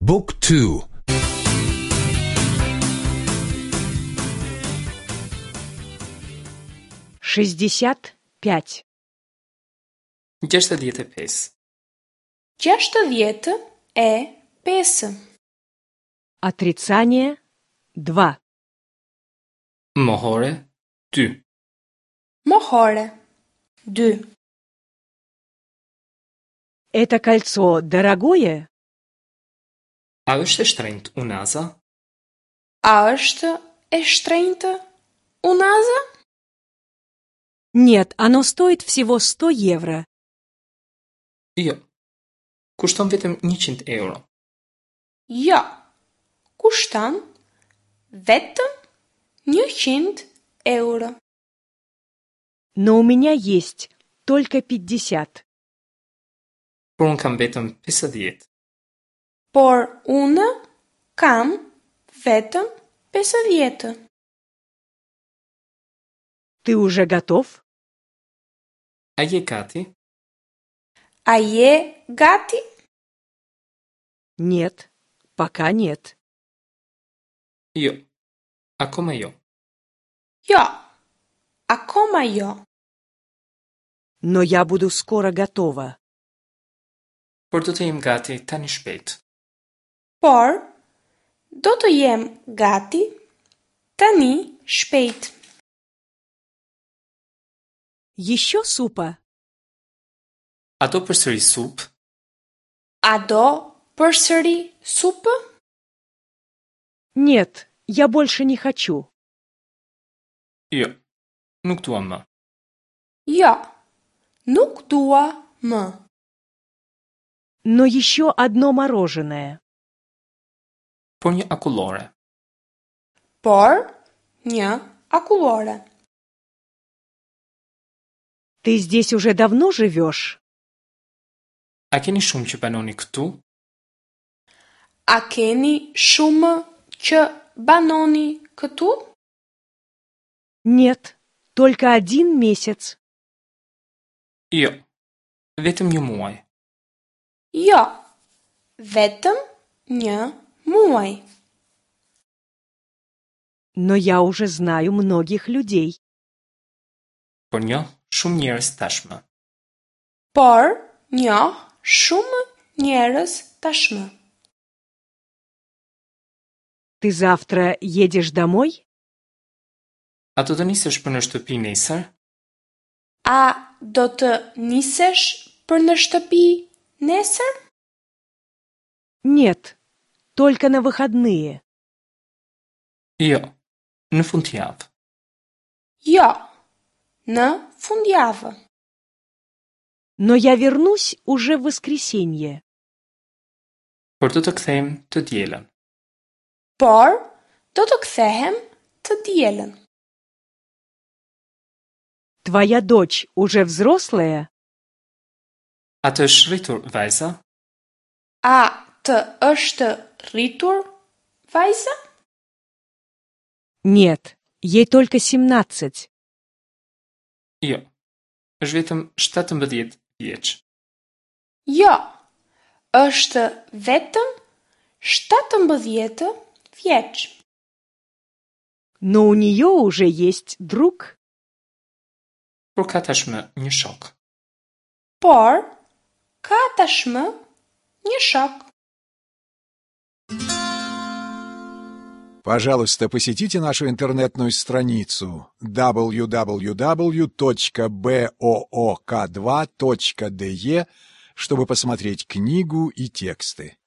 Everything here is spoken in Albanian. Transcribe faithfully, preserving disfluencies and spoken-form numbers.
Book two. Шестьдесят пять. Gjashtëdhjetë e pesë. Gjashtëdhjetë e pesë. Отрицание два. Mohore dy. Mohore dy. Это кольцо дорогое? A është e shtrenjtë unaza? A është e shtrenjtë unaza? Нет, оно стоит всего сто евро. Jo. Kushton vetëm njëqind euro. Jo. Kushton vetëm njëqind euro. Но у меня есть только пятьдесят. Por unë kam vetëm pesëdhjetë. Por unë kam vetëm pesëdhjetë. Ты уже готов? A je gati? A je gati? Нет, пока нет. Jo. Akoma jo. Jo. Akoma jo. Но я буду скоро готова. Por do të jem gati tani shpejt. Por do të jem gati tani shpejt. Еще супа? A do përsëri supë? A do përsëri supë? Нет, я больше не хочу. Jo. Nuk dua më. Jo. Nuk dua më. Но еще одно мороженое. Por një akullore. Por një akullore. Ты здесь уже давно живешь? A keni shumë që banoni këtu? A keni shumë që banoni këtu? Нет, только один месяц. Jo. Vetëm një muaj. Jo. Vetëm një muaj. Но я уже знаю многих людей. Por njoh shumë njerëz tashmë. Por njoh shumë njerëz tashmë. Ты завтра едешь домой? A do të nisesh për në shtëpi nesër? A do të nisesh për në shtëpi nesër? Нет, только на выходные. Jo. Në fundjavë. Jo. Në fundjavë. Но я вернусь уже в воскресенье. Por do të kthehem të dielën. Por do të kthehem të dielën. Твоя дочь уже взрослая? A të është rritur vajza? A të është rritur vajza? Нет, ей только семнадцать. Jo. Është vetëm shtatëmbëdhjetë vjeç. Jo. Është vetëm shtatëmbëdhjetë vjeç. Но у нее уже есть друг. Por ka tashmë një shok. Por ka tashmë një shok. Пожалуйста, посетите нашу интернетную страницу дабл ю дабл ю дабл ю точка бэ о о ка два точка дэ е, чтобы посмотреть книгу и тексты.